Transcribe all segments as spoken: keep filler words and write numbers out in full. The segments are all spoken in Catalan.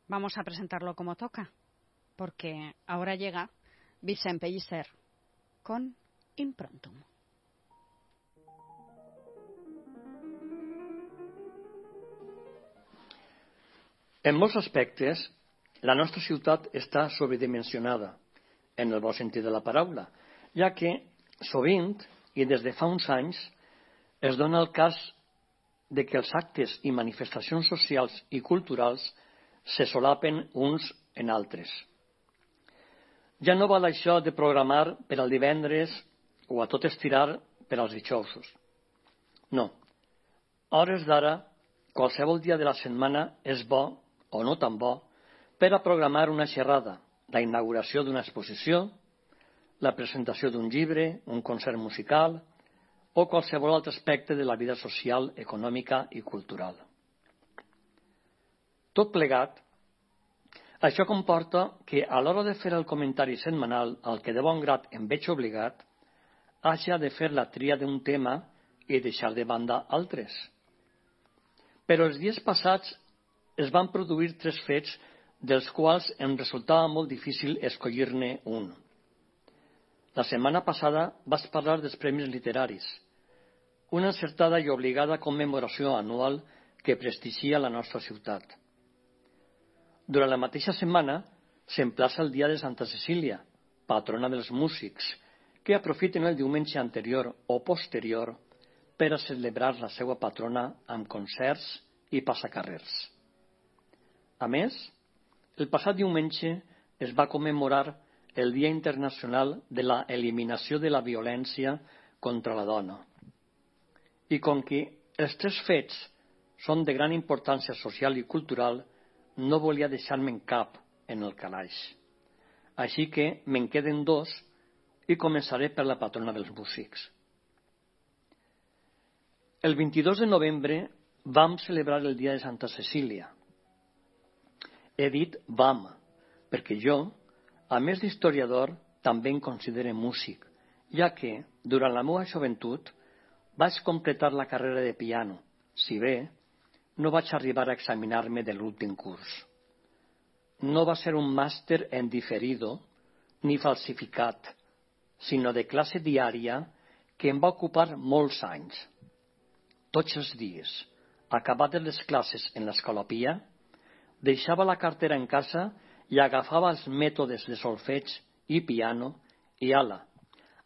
vamos a presentarlo como toca, porque ahora llega Vicent Pellicer con Improntum. En molts aspectes, la nostra ciutat està sobredimensionada, en el bon sentit de la paraula, ja que sovint, i des de fa uns anys, es dona el cas de que els actes i manifestacions socials i culturals se solapen uns en altres. Ja no val això de programar per al divendres o a tot estirar per als dijousos. No. A hores d'ara, qualsevol dia de la setmana és bo, o no tan bo, per a programar una xerrada, la inauguració d'una exposició, la presentació d'un llibre, un concert musical o qualsevol altre aspecte de la vida social, econòmica i cultural. Tot plegat, això comporta que a l'hora de fer el comentari setmanal al que de bon grat em veig obligat, haja de fer la tria d'un tema i deixar de banda altres. Però els dies passats es van produir tres fets dels quals em resultava molt difícil escollir-ne un. La setmana passada vaig parlar dels premis literaris, una encertada i obligada commemoració anual que prestigia la nostra ciutat. Durant la mateixa setmana s'emplaça el dia de Santa Cecília, patrona dels músics, que aprofiten el diumenge anterior o posterior per a celebrar la seva patrona amb concerts i passacarrers. A més, el passat diumenge es va commemorar el Dia Internacional de la Eliminació de la Violència contra la Dona. I com que els tres fets són de gran importància social i cultural, no volia deixar-me'n cap en el calaix. Així que me'n queden dos i començaré per la patrona dels músics. El vint-i-dos de novembre vam celebrar el Dia de Santa Cecília. He dit vam, perquè jo, a més d'historiador, també em considero músic, ja que, durant la meva joventut, vaig completar la carrera de piano, si bé no vaig arribar a examinar-me de l'últim curs. No va ser un màster en diferido ni falsificat, sinó de classe diària que em va ocupar molts anys. Tots els dies, acabades les classes en l'escolapia, deixava la cartera en casa i agafava els mètodes de solfeig i piano i ala,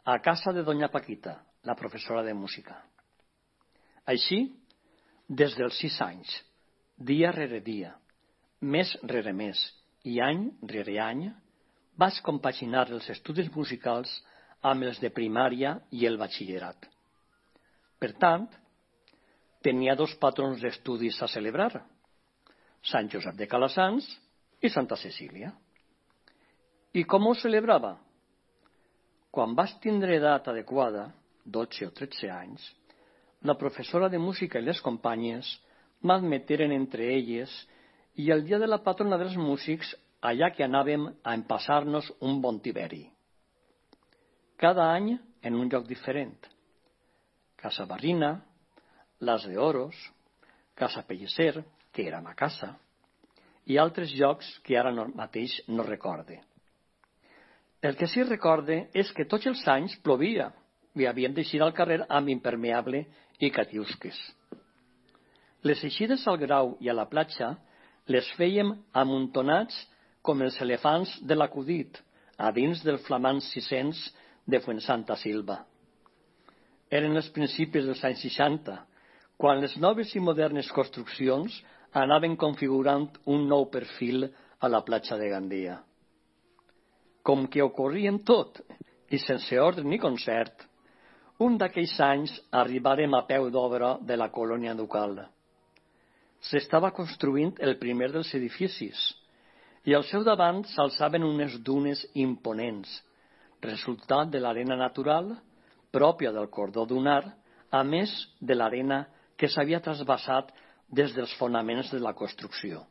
a casa de doña Paquita, la professora de música. Així, des dels sis anys, dia rere dia, mes rere mes i any rere any, vaig compaginar els estudis musicals amb els de primària i el batxillerat. Per tant, tenia dos patrons d'estudis a celebrar, Sant Josep de Calassanç i Santa Cecília. I com ho celebrava? Quan vaig tindre edat adequada, dotze o tretze anys, la professora de música i les companyes m'admeteren entre elles i el dia de la patrona dels músics allà que anàvem a empassar-nos un bon tiberi. Cada any en un lloc diferent. Casa Barrina, Las de Oros, Casa Pellicer, que era ma casa, i altres llocs que ara mateix no recorde. El que sí recorde és que tots els anys plovia i havíem d'eixir al carrer amb impermeable i catiusques. Les eixides al Grau i a la platja les fèiem amuntonats com els elefants de l'acudit a dins del flamant sis-cents de Fuensanta Silva. Eren els principis dels anys seixanta, quan les noves i modernes construccions anaven configurant un nou perfil a la platja de Gandia. Com que ho corrien tot, i sense ordre ni concert, un d'aquells anys arribarem a peu d'obra de la colònia ducal. S'estava construint el primer dels edificis, i al seu davant s'alçaven unes dunes imponents, resultat de l'arena natural, pròpia del cordó dunar, a més de l'arena que s'havia trasbassat des dels fonaments de la construcció.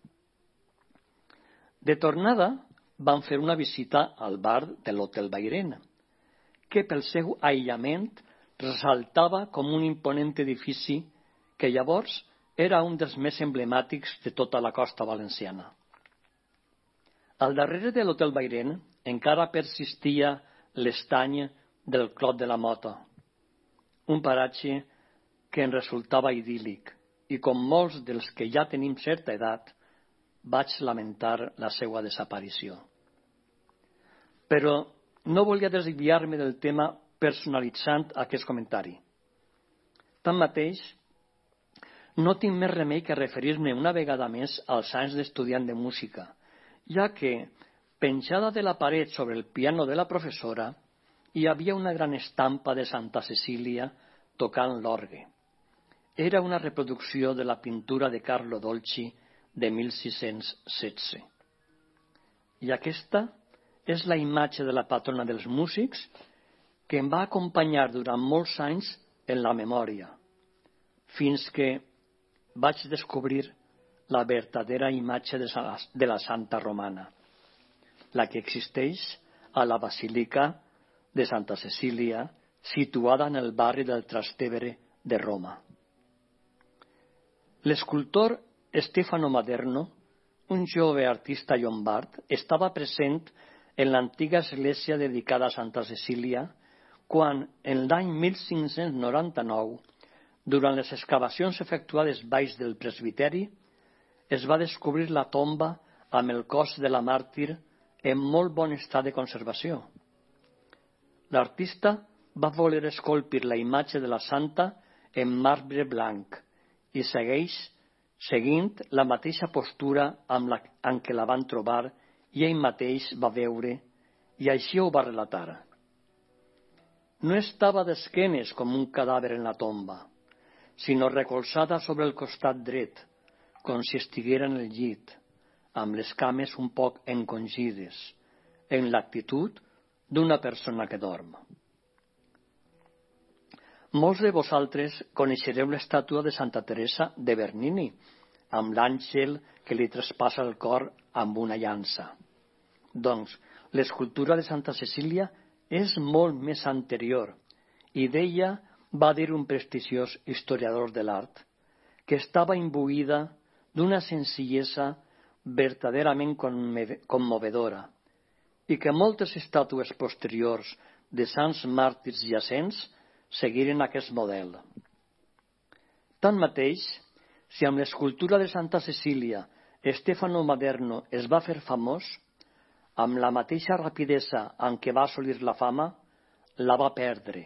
De tornada, vam fer una visita al bar de l'Hotel Bairén, que pel seu aïllament ressaltava com un imponent edifici que llavors era un dels més emblemàtics de tota la costa valenciana. Al darrere de l'Hotel Bairén encara persistia l'estany del Clot de la Mota, un paratge que en resultava idíl·lic i, com molts dels que ja tenim certa edat, vaig lamentar la seva desaparició. Però no volia desviar-me del tema personalitzant aquest comentari. Tanmateix, no tinc més remei que referir-me una vegada més als anys d'estudiant de música, ja que, penjada de la paret sobre el piano de la professora, hi havia una gran estampa de Santa Cecília tocant l'orgue. Era una reproducció de la pintura de Carlo Dolci de mil sis-cents setze. I aquesta és la imatge de la patrona dels músics que em va acompanyar durant molts anys en la memòria, fins que vaig descobrir la verdadera imatge de la Santa Romana, la que existeix a la Basílica de Santa Cecília, situada en el barri del Trastevere de Roma. L'escultor Stefano Maderno, un jove artista llombard, estava present en l'antiga església dedicada a Santa Cecília quan, en l'any mil cinc-cents noranta-nou, durant les excavacions efectuades baix del presbiteri, es va descobrir la tomba amb el cos de la màrtir en molt bon estat de conservació. L'artista va voler esculpir la imatge de la santa en marbre blanc i segueix seguint la mateixa postura amb la en què la van trobar i ell mateix va veure, i així ho va relatar. No estava d'esquenes com un cadàver en la tomba, sinó recolzada sobre el costat dret, com si estiguera en el llit, amb les cames un poc encongides, en l'actitud d'una persona que dorm. Molts de vosaltres coneixereu l'estàtua de Santa Teresa de Bernini, amb l'àngel que li traspassa el cor amb una llança. Doncs, l'escultura de Santa Cecília és molt més anterior, i d'ella va dir un prestigiós historiador de l'art, que estava imbuïda d'una senzillesa verdaderament commovedora, i que moltes estàtues posteriors de sants màrtirs jacents seguiren aquest model. Tanmateix, si amb l'escultura de Santa Cecília Stefano Maderno es va fer famós, amb la mateixa rapidesa amb què va assolir la fama, la va perdre,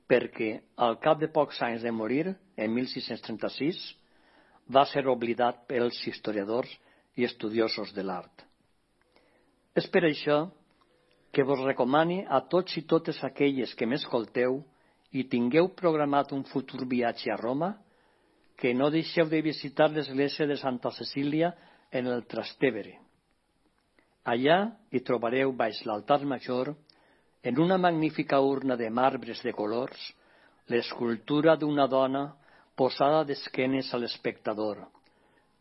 perquè al cap de pocs anys de morir, en mil sis-cents trenta-sis, va ser oblidat pels historiadors i estudiosos de l'art. És per això que vos recomane a tots i totes aquelles que m'escolteu i tingueu programat un futur viatge a Roma, que no deixeu de visitar l'església de Santa Cecília en el Trastevere. Allà hi trobareu baix l'altar major, en una magnífica urna de marbres de colors, l'escultura d'una dona posada d'esquenes a l'espectador,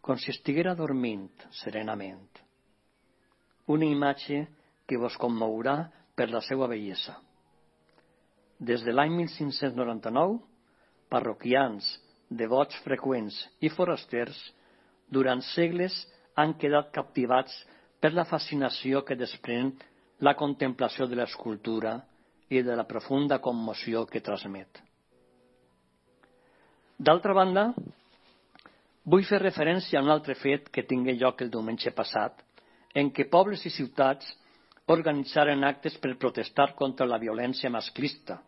com si estiguera dormint serenament. Una imatge que vos commourà per la seva bellesa. Des de l'any mil cinc-cents noranta-nou, parroquians, devots freqüents i forasters, durant segles han quedat captivats per la fascinació que desprèn la contemplació de l'escultura i de la profunda commoció que transmet. D'altra banda, vull fer referència a un altre fet que tingué lloc el diumenge passat, en què pobles i ciutats organitzaren actes per protestar contra la violència masclista.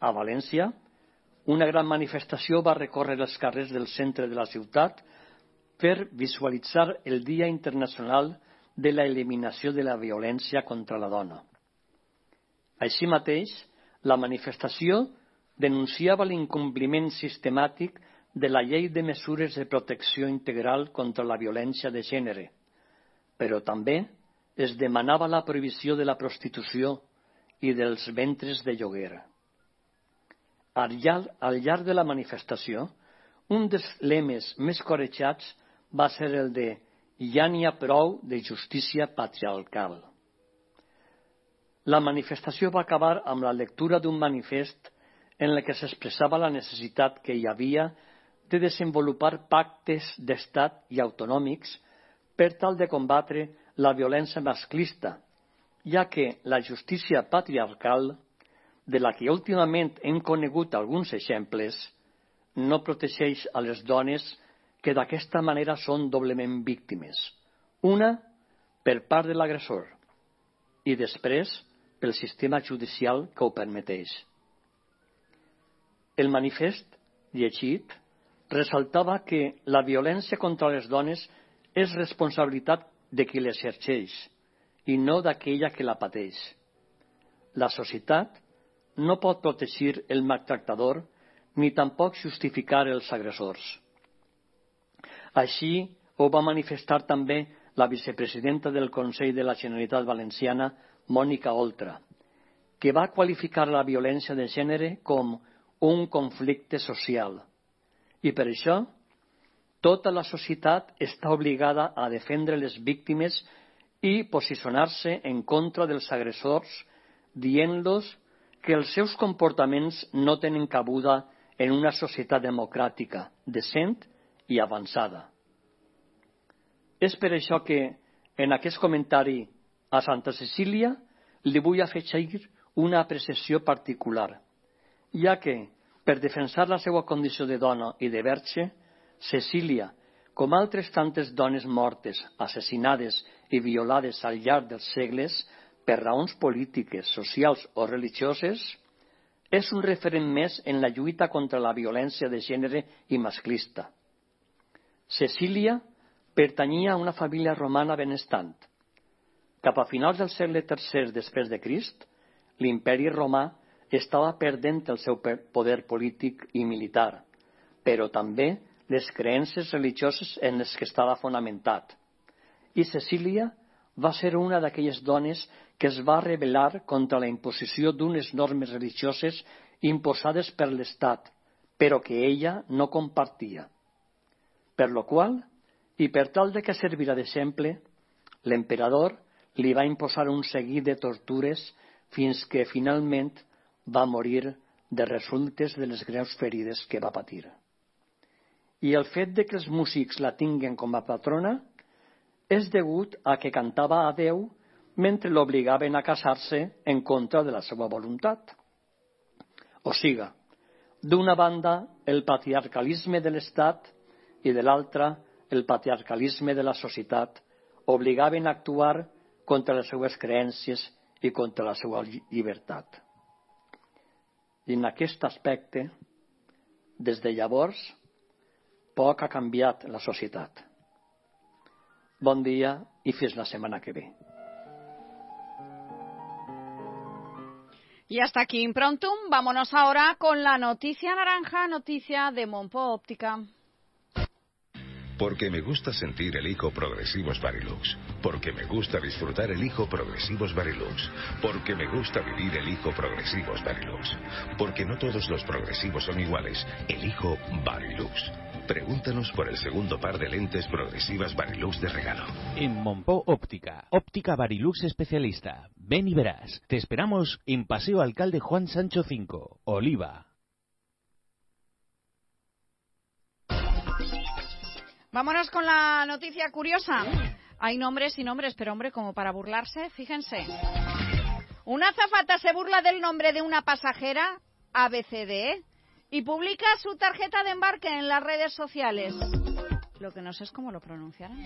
A València, una gran manifestació va recórrer els carrers del centre de la ciutat per visualitzar el Dia Internacional de la Eliminació de la Violència contra la Dona. Així mateix, la manifestació denunciava l'incompliment sistemàtic de la Llei de Mesures de Protecció Integral contra la Violència de Gènere, però també es demanava la prohibició de la prostitució i dels ventres de lloguer. Al llarg, al llarg de la manifestació, un dels lemes més corejats va ser el de «Ja n'hi ha prou de justícia patriarcal». La manifestació va acabar amb la lectura d'un manifest en el que s'expressava la necessitat que hi havia de desenvolupar pactes d'estat i autonòmics per tal de combatre la violència masclista, ja que la justícia patriarcal, de la que últimament hem conegut alguns exemples, no protegeix a les dones que d'aquesta manera són doblement víctimes. Una, per part de l'agressor, i després pel sistema judicial que ho permeteix. El manifest llegit ressaltava que la violència contra les dones és responsabilitat de qui l'exerceix i no d'aquella que la pateix. La societat no pot protegir el maltractador ni tampoc justificar els agressors. Així ho va manifestar també la vicepresidenta del Consell de la Generalitat Valenciana, Mònica Oltra, que va qualificar la violència de gènere com un conflicte social. I per això, tota la societat està obligada a defendre les víctimes i posicionar-se en contra dels agressors, dient-los que els seus comportaments no tenen cabuda en una societat democràtica, decent i avançada. És per això que, en aquest comentari a Santa Cecília, li vull afegir una apreciació particular, ja que, per defensar la seva condició de dona i de verge, Cecília, com altres tantes dones mortes, assassinades i violades al llarg dels segles per raons polítiques, socials o religioses, és un referent més en la lluita contra la violència de gènere i masclista. Cecília pertanyia a una família romana benestant. Cap a finals del segle tercer després de Crist, l'imperi romà estava perdent el seu poder polític i militar, però també les creences religioses en les que estava fonamentat. I Cecília va ser una d'aquelles dones que es va rebel·lar contra la imposició d'unes normes religioses imposades per l'Estat, però que ella no compartia. Per lo qual, i per tal de que servirà d'exemple, l'emperador li va imposar un seguit de tortures fins que finalment va morir de resultes de les greus ferides que va patir. I el fet de que els músics la tinguen com a patrona és degut a que cantava a Déu mentre l'obligaven a casar-se en contra de la seva voluntat. O siga, d'una banda el patriarcalisme de l'Estat i de l'altra el patriarcalisme de la societat obligaven a actuar contra les seues creences i contra la seva llibertat. I en aquest aspecte, des de llavors, poc ha canviat la societat. Bon dia y fins la semana que ve. Y hasta aquí Improntum. Vámonos ahora con la noticia naranja, noticia de Monpo Óptica. Porque me gusta sentir elijo Progresivos Varilux. Porque me gusta disfrutar elijo Progresivos Varilux. Porque me gusta vivir elijo Progresivos Varilux. Porque no todos los progresivos son iguales, elijo Varilux. Pregúntanos por el segundo par de lentes progresivas Varilux de regalo. En Monpo Óptica, óptica Varilux especialista. Ven y verás. Te esperamos en Paseo Alcalde Juan Sancho cinco, Oliva. Vámonos con la noticia curiosa. Hay nombres y nombres, pero hombre, como para burlarse, fíjense. Una azafata se burla del nombre de una pasajera, A B C D, y publica su tarjeta de embarque en las redes sociales. Lo que no sé es cómo lo pronunciarán.